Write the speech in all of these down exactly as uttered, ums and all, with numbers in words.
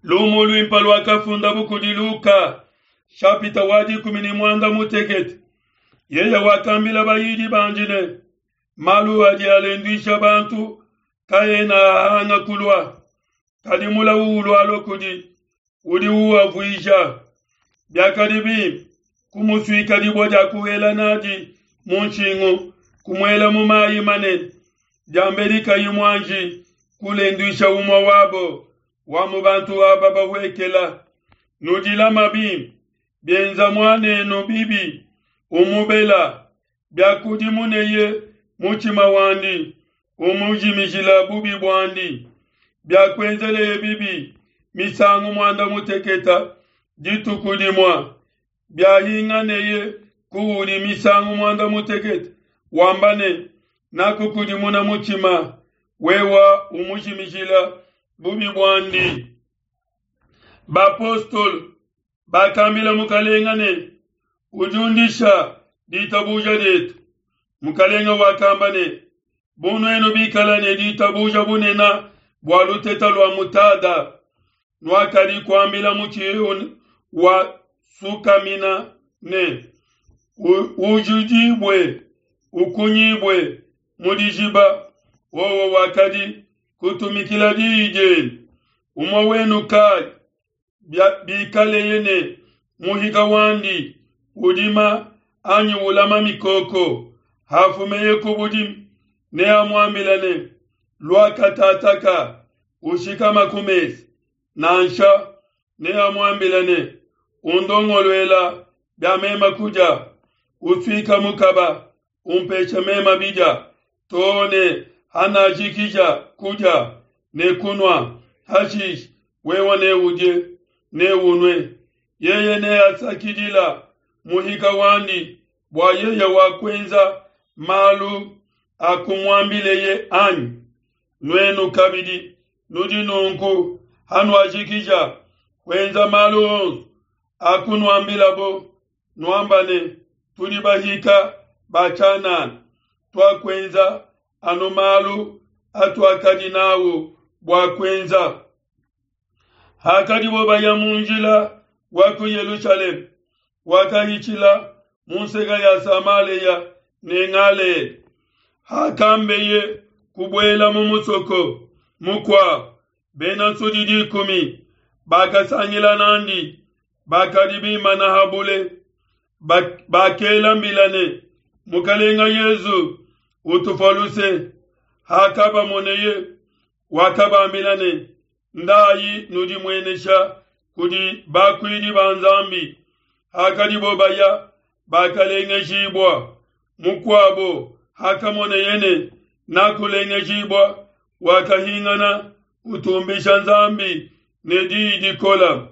Lumu luimpe luakafundabu kudi Luka, shapita wa dikumi ne muanda mutekete. Yeye wakambila bayidi bandi ne, malu adi alenduisha bantu kaena ahanga kulua, kadi mulawu ulualua kudi udi uavuija. Biakadi bimpe kumusuika dibue dia kuela nadi mu nshingu, kumuela mu mayi manene, diambedi kayi muanji kulenduisha umue wabo wa mu bantu aba bahuekela. Nudilama bimpe, bienza muanenu bibi, umubela, biakudimuneye mutshima wandi, umujimijila bubi buandi. Biakuenzeleye bibi misangu muanda muteketa dituku dimue, biahinganeye kuudi misangu muanda mutekete, wamba ne, nakukudimuna mutshima, wewa umujimijila bubi buandi. Bapostolo bakambila mukalenga ne, udiundisha ditabuja dietu. Mukalenga wakamba ne, bu nuenu bikala ne ditabuja bunene bua luteta lua mutada, nuakadi kuambila mutshi eu wa sukamina ne, ujudibue, ukunyibue mu dijiba, wowo wakadi kutumikila diyi dienu. Umue wenu kai bikaleye ne muhika wandi udima anyi ulama mikoko, hafumeye ku budimi, neamuambila ne, lua katataka ushikama ku mesa. Nansha neamuambila ne, undongoluela bia mema kudia, usuika mukaba, umpesha mema bidia, too ne hanajikija kudia ne kunua, hashishe wewe neudie neunwe. Yeye neasakidila muhika wandi bua yeye wakuenza malu akumuambileye anyi? Nuenu kabidi nudi nunku hanuajikija kuenza malu onso akunuambilabo, nuamba ne, tudi bahika ba tshianana, tuakuenza anu malu atuakadi nawu bua kuenza. Hakadibo baya mu njila wa ku Yelushalema, wakahitshila mu nseka ya Samalea ne Galela. Hakambeye kubuela mu musoko mukuabo, bena nsudi dikumi bakasangila nandi, bakadi bimana habule, bakela mbila ne, Mukalenga Yezu, utufua luse. Hakabamoneye, wakabambila ne, ndayi nudimuenesha kudi bakuidi ba Nzambi. Hakadibo baya, bakalengejibua. Mukuabo hakamoneye ne nakulengejibua, wakahingana utumbisha Nzambi ne diyi dikola,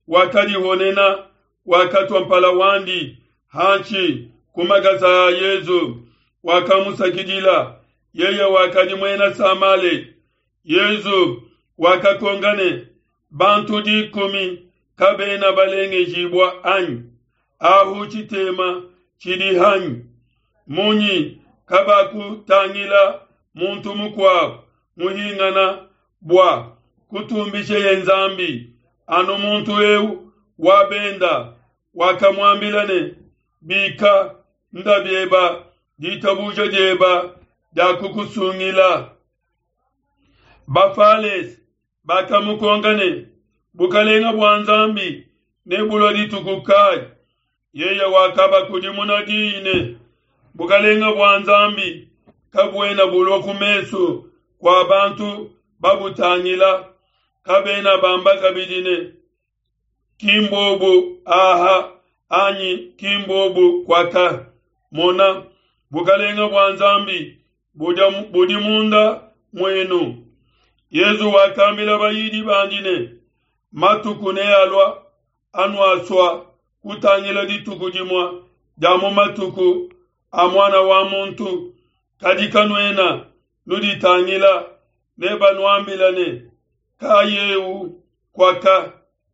wakadihonena, wakatua mpala wandi hanshi ku makasa a Yezu, wakamusakidila. Yeye wakadi muena Samale. Yezu wakakonka ne, bantu dikumi kabena balengejibua anyi? Ahu tshitema tshidi hanyi? Munyi kabakutangila muntu mukuabo muhingana bua kutumbisheye Nzambi, anu muntu eu wa benda? Wakamuambila ne, bika, nda bieba, ditabuja dieba diakukusungila. Bafalese bakamukonka ne, bukalenga bua Nzambi nebulua dituku kayi? Yeye wakabakudimuna diyi ne, bukalenga bua Nzambi kabuena bulua ku mesu kua bantu babutangila. Kabena bamba kabidi ne, kimbobu aha anyi kimbobu kwaka. Mona, bukalenga bua Nzambi budi munda muenu. Yezu wakambila bayidi bandi ne, matuku nealua anuasua kutangila dituku dimue dia mu matuku a Muana wa Muntu, kadi kanuena nuditangila. Nebanuambila ne, kayeu kwaka,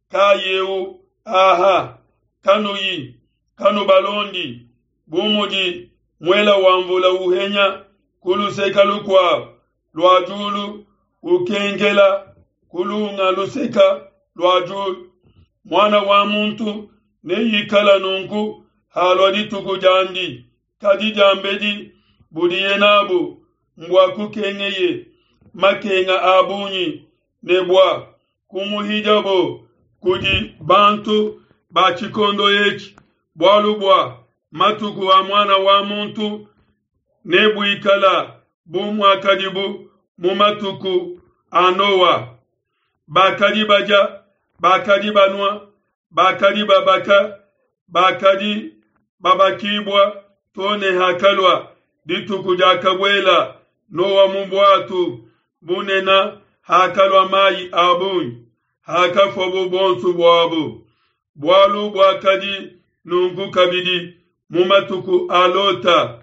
kayeu aha, kanuyi kanubalondi. Bu mudi muela wa mvula uhenya ku luseka lukuabo lua diulu, ukenkela kulunga luseka lua diulu. Muana wa muntu neikala nunku halua dituku diandi. Kadi diambedi budiye nabu mbua kukengeye makenga a bungi ne bua kumuhidiabo kudi bantu ba tshikondo etshi. Bualu bua matuku a Muana wa muntu nebuikala bu muakadibu mu matuku a Noa. Bakadi badia, bakadi banua, bakadi babaka, bakadi babakibua to ne hakalua dituku diakabuela Noa mu buatu bunene, hakalua mai a bungi, hakafuabo buonso buabo. Bualu buakadi nunku kabidi mu matuku a Lota.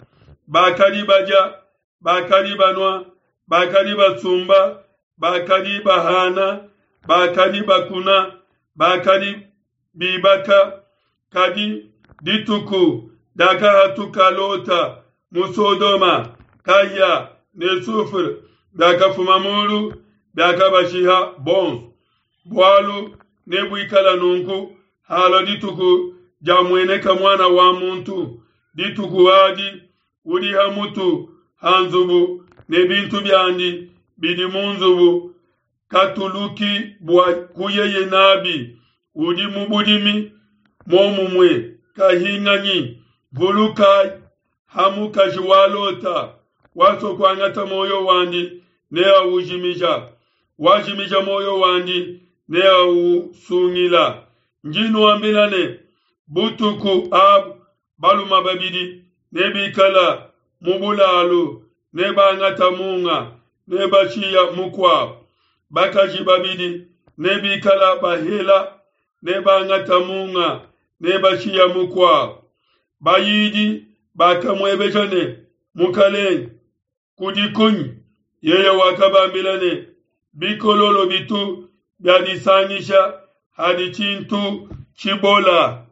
Bakadi badia, bakadi banua, bakadi basumba, bakadi bahana, bakadi bakuna, bakadi bibaka. Kadi dituku diakahatuka Lota mu Sodoma, kahia ne soufre biakafuma mulu, biakabashiha bonso. Bualu nebuikala nunku halua dituku diamueneka Muana wa muntu. Dituku adi udi ha mutu ha nzubu ne bintu biandi bidi mu nzubu katuluki bua kuyeye nabi. Udi mu budimi momumue kahinganyi. Vulukai ha mukaji wa Lota. Wasua kuangata muoyo wandi neaujimija, wajimija muoyo wandi neausungila. Ndi nuambila ne, butuku abu baluma babidi nebikala mu bulalu, nebangata munga, nebashiya mukuabo. Bakaji babidi nebikala bahela, nebangata munga, nebashiya mukuabo. Bayidi bakamuebeja ne, Mukalenge, kudi kunyi? Yeye wakabambila ne, bikololo bitu biadisangisha hadi tshintu tshibola.